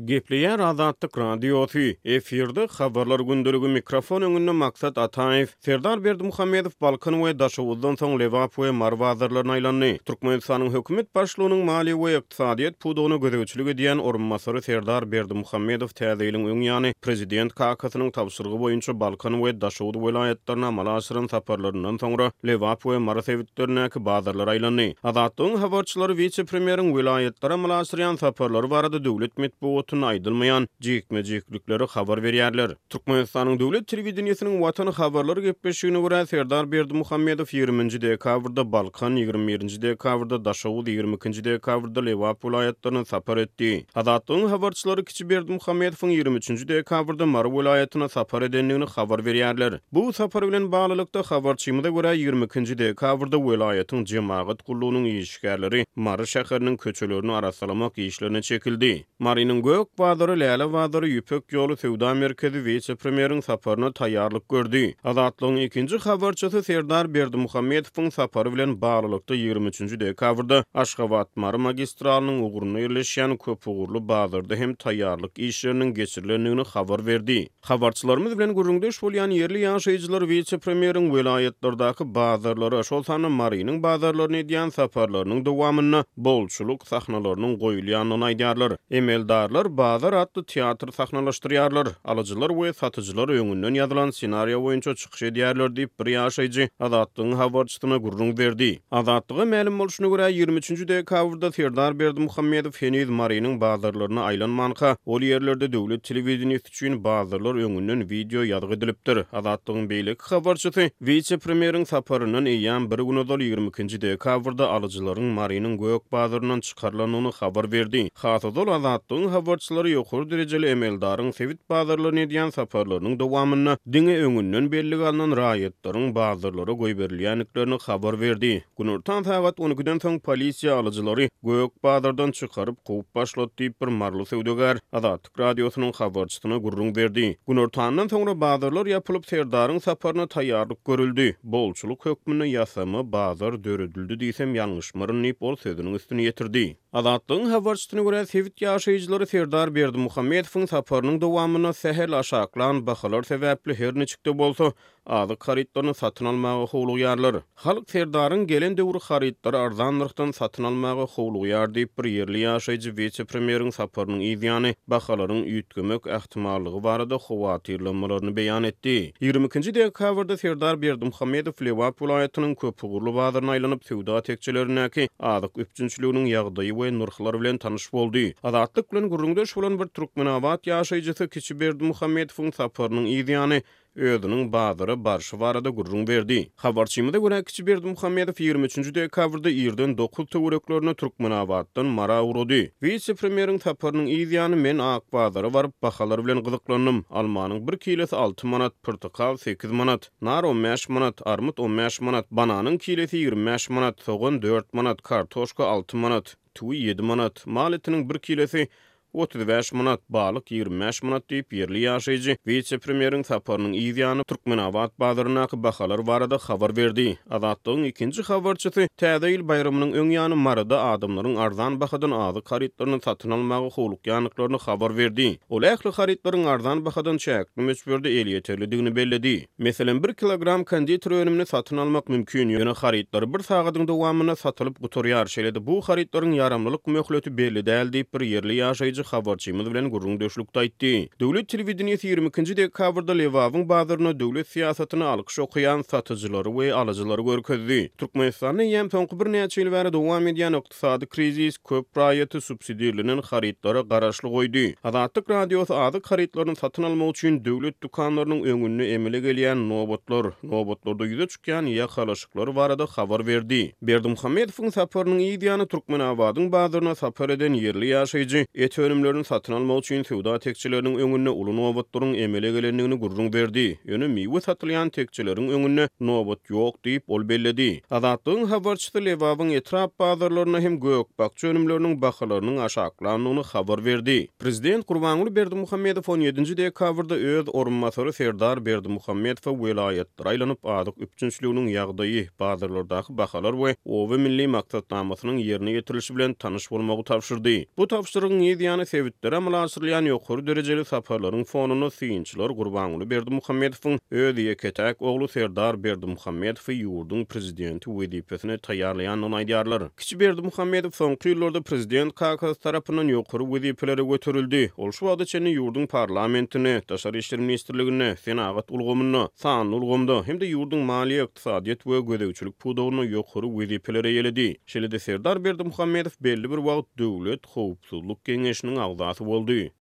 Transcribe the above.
Gepleýär Azatlyk Radiosy, efirde Habarlar gündeligi, mikrofon öňünde Maksat Ataýew. Serdar Berdimuhamedow Balkan we Daşoguzdan soň Lebap we Mary bazarlaryna aýlandy. Türkmenistanyň hökümet başlygynyň maliýe we ykdysadyýet pudagyna gözegçilik edýän orunbasary Serdar Berdimuhamedow Täze ýylyň öň ýany prezident kakasynyň tabşyrygy boýunça Balkan we Daşoguz welaýatlaryna amala aşyran saparlaryndan soňra Lebap we Mary sebitlerindäki bazarlara aýlandy. Azatlygyň habarçylary wise-premýeriň welaýatlara amala aşyrýan saparlary barada döwlet metbugatynda aýdylmaýan jikme-jiklikleri habar berýärler. Türkmenistanyň döwlet telewideniýesiniň Watan habarlar gepleşigine görä, Serdar Berdimuhamedow ýigriminji dekabrda Balkan, 21-nji dekabrda Daşoguz, 22-nji dekabrda Lebap welaýatlaryna sapar etdi. Azatlygyň habarçylary kiçi Berdimuhamedowyň 23-nji dekabrda Mary welaýatyna sapar edendigini habar berýärler. Bu sapar bilen baglylykda, habarçymyza görä, 22-nji dekabrda welaýatyň jemagat gullugynyň işgärleri Mary şäheriniň köçelerini arassalamak işlerine çekildi. Marynyň Gök bazary, Läle bazary, Ýüpek ýoly söwda merkezi wise-premýeriň saparyna taýýarlyk gördi. Azatlygyň ikinji habarçysy Serdar Berdimuhamedowyň sapary bilen baglylykda 23-nji dekabrda Aşgabat-Mary magistralynyň ugrunda ýerleşýän köpugurly bazarda hem taýýarlyk işleriniň geçirilendigini habar berdi. Habarçylarymyz bilen gürrüňdeş bolýan ýerli ýaşaýjylar wise-premýeriň welaýatlardaky bazarlara, şol sanda Marynyň bazarlaryna edýän saparlarynyň dowamynda bolçulyk sahnalarynyň goýulýandygyny aýdýarlar. Emeldarlar Bazar atly teatr sahnalaşdyrýarlar. Alyjylar we satyjylar öňünden ýazylan ssenariýa boýunça çykyş edýärler diýip, bir ýaşaýjy Azatlygyň habarçysyna gürrüň berdi. Azatlyga mälim bolşuna görä, 23-nji dekabrda Serdar Berdimuhamedow heniz Marynyň bazarlaryna aýlanmanka, ol ýerlerde döwlet telewideniýesi üçin bazarlar öňünden wideo ýazgy edilipdir. Azatlygyň beýleki habarçysy wise-premýeriň saparyndan eýýäm bir gün ozal, 22-nji dekabrda alyjylaryň Marynyň gök bazaryndan çykarylandygyny habar berdi. Has ozal Azatlygyň habarçylary ýokary derejeli emeldaryň sebit bazarlaryna edýän saparlarynyň dowamynda diňe öňünden bellige alnan raýatlaryň bazarlara goýberilýändiklerini habar berdi. Günortan sagat on ikiden soň polisiýa alyjylary gök bazardan çykaryp kowup başlady diýip, bir maryly söwdagär Azatlyk Radiosynyň habarçysyna gürrüň berdi. Günortandan soňra bazarlar ýapylyp, Serdaryň saparyna taýýarlyk görüldi. Bolçulyk hökmünde ýasama bazar döredildi diýsem ýalňyşmaryn diýip, ol sözüniň üstüni ýetirdi. Azatlygyň habarçysyna görä, sebit ýaşaýjylary Serdar Berdimuhamedowyň saparynyň dowamynda sähel aşaklan bahalar sebäpli her niçik-de bolsa, azyk harytlaryny satyn almaga howlugýarlar. Halk Serdaryň gelen döwri harytlary arzan nyrhdan satyn almaga howlugýar diýip, bir ýerli ýaşaýjy wise-premýeriň saparynyň yz ýany bahalaryň üýtgemek ähtimallygy barada howatyrlanmalaryny beýan etdi. 22-nji dekabrda Serdar Berdimuhamedow Lebap welaýatynyň köpugurly bazaryna aýlanyp, söwda tekjelerindäki azyk üpjünçiliginiň ýagdaýy we nyrhlary bilen tanyş boldy. Azatlyk bilen gürrüňdeş bolan bir türkmenabat ýaşaýjysy kiçi Berdimuhamedowyň saparynyň yz ýany özüniň bazara barşy barada gürrüň berdi. Habarçymyza görä, kiçi Berdimuhamedow 23-nji dekabrda irden dokuz töwereklerinde Türkmenabatdan Mara ugrady. Wise-premýeriň saparynyň yz ýany men ak bazara baryp, bahalar bilen gyzyklandym. Almanyň bir kilesi alty manat, pyrtykal sekiz manat, nar on bäş manat, armyt on bäş manat, bananyň kilesi 25 manat, sogan dört manat, kartoşka alty manat, tüwi ýedi manat, mal etiniň bir kilesi 35 manat, balyk 25 manat diýip, ýerli ýaşaýjy wise-premýeriň saparynyň yz ýany Türkmenabat bazaryndaky bahalar barada habar berdi. Azatlygyň ikinji habarçysy Täze ýyl baýramynyň öň ýany Maryda adamlaryň arzan bahadan azyk harytlaryny satyn almaga howlukýandyklaryny habar berdi. Ol ähli harytlaryň arzan bahadan çäkli möçberde elýeterlidigini belledi. Meselem, bir kilogram konditer önümini satyn almak mümkin, ýöne harytlar bir sagadyň dowamynda satylyp gutarýar, şeýle-de bu harytlaryň ýaramlylyk möhleti belli däl diýip, bir ýerli ýaşaýjy habarçymyz bilen gürrüňdeşlikde aýtdy. Döwlet telewideniýesi 22-nji dekabrda Lebabyň bazarynda döwlet syýasatyna alkyş okaýan satyjylary we alyjylary görkezdi. Türkmenistanda eýýäm soňky birnäçe ýyl bäri dowam edýän Ykdysady krizis köp raýaty subsidirlenen harytlara garaşly goýdy. Azatlyk Radiosy azyk harytlaryny satyn almak üçin döwlet dükanlarynyň öňünde emele gelýän nobatlar, nobatlarda ýüze çykýan ýakalaşyklar barada habar berdi. Berdimuhamedowyň saparynyň yz ýany Türkmenabadyň bazaryna sapar eden ýerli ýaşaýjy et önümlerini satyn almak üçin söwda tekjeleriniň öňünde uly nobatlaryň emele gelendigini gürrüň berdi. Ýöne miwe satylýan tekjeleriň öňünde nobat ýok diýip, ol belledi. Azatlygyň habarçysy Lebabyň etrap bazarlarynda hem gök-bakja önümleriniň bahalarynyň aşaklandygyny habar berdi. Prezident Gurbanguly Berdimuhamedow on ýedinji dekabrda öz orunbasary Serdar Berdimuhamedowa welaýatlara aýlanyp, azyk üpjünçiliginiň ýagdaýy, bazarlardaky bahalar we Oba milli maksatnamasynyň ýerine ýetirilişi bilen tanyş bolmagy tabşyrdy. Bu tabşyrygyň yz ýany. ýany sebitlere amala aşyrylýan ýokary derejeli saparlaryň fonunda synçylar Gurbanguly Berdimuhamedowyň öz ýeke-täk ogly Serdar Berdimuhamedowy ýurduň prezidenti wezipesine taýýarlaýandygyny aýdýarlar. Kiçi Berdimuhamedow soňky ýyllarda prezident kakasy tarapyndan ýokary wezipelere göterildi. Ol şu wagta çenli ýurduň parlamentinde, Daşary işler ministrliginde, senagat ulgamynda, sanly ulgamda hem-de ýurduň maliýe, ykdysadyýet we gözegçilik pudagynda ýokary wezipeleri eýeledi. Şeýle-de Serdar Berdimuhamedow belli bir wagt Döwlet howpsuzlyk geňeşiniň agzasy boldy.